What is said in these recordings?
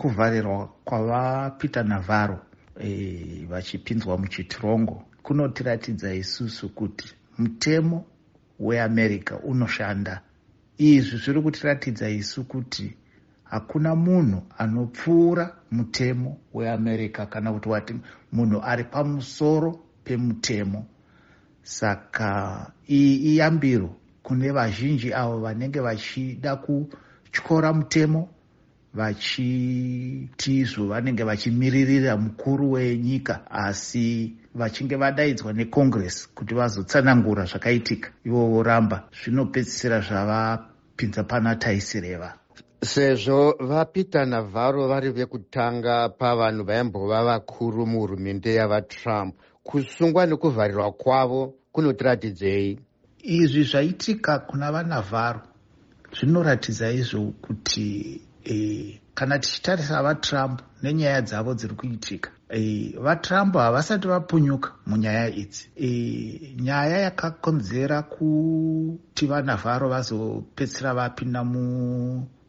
Kuvharirwa kwavaPeter Navarro vachipinzwa muchitirongo kunotiratidza isusu kuti mutemo weAmerica unoshanda. Izvi zviri kutiratidza isu kuti hakuna munhu anopfuura mutemo weAmerica, kana kuti wati munhu ari pamusoro pemutemo. Saka iyi iyambiro kune vazhinji avo vanenge vachida kutyora mutemo, vachiti izvo vanenge vachimiririra mukuru wenyika, asi vachinge vadaidzwa neCongress kuti vazotsanangura zvakaitika, ivo voramba, zvinopedzisira zvavapinza pana taisireva. Sezvo vaPeter Navarro vari vekutanga pavanhu vaimbova vakuru muhurumende yavaTrump, kusungwa nekuvharirwa kwavo kunotiratidzei? Izvi zvaitika kuna vaNavarro zvinoratidza izvo kuti kana tichitarisa vaTrump nenyaya dzavo dziri kuitika, vaTrump havasati vapunyuka munyaya idzi. Nyaya yakakonzera kuti vaNavarro vazopedzisira vapinda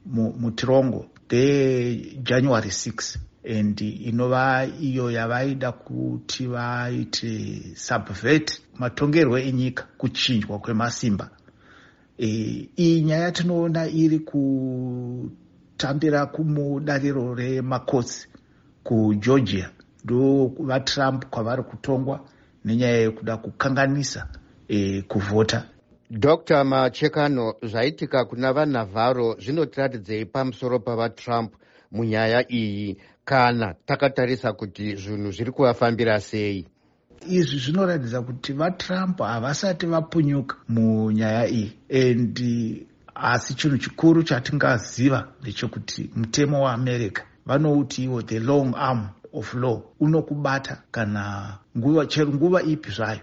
mutirongo ndeJanuary 6, and inova iyo yavaida kuti vaite subvert matongerwo enyika, kuchinjwa kwemasimba. Iyi nyaya tinoona iri kutambira kumudariro remakotsi kuGeorgia, ndo vaTrump kwavari kutongwa nenyaya yekuda kukanganisa kuvhota. Dr Machekano, zvaitika kuna vaNavarro zvinotiratidzei pamusoro pavaTrump munyaya iyi, kana takatarisa kuti zvinhu zviri kuvafambira sei? Izvi zvinoratidza kuti vaTrump havasati vapunyuka munyaya iyi, and asi chinhu chikuru chatingaziva ndechekuti mutemo weAmerica vanouti iwo the long arm of law unokubata kana nguva, chero nguva ipi zvayo.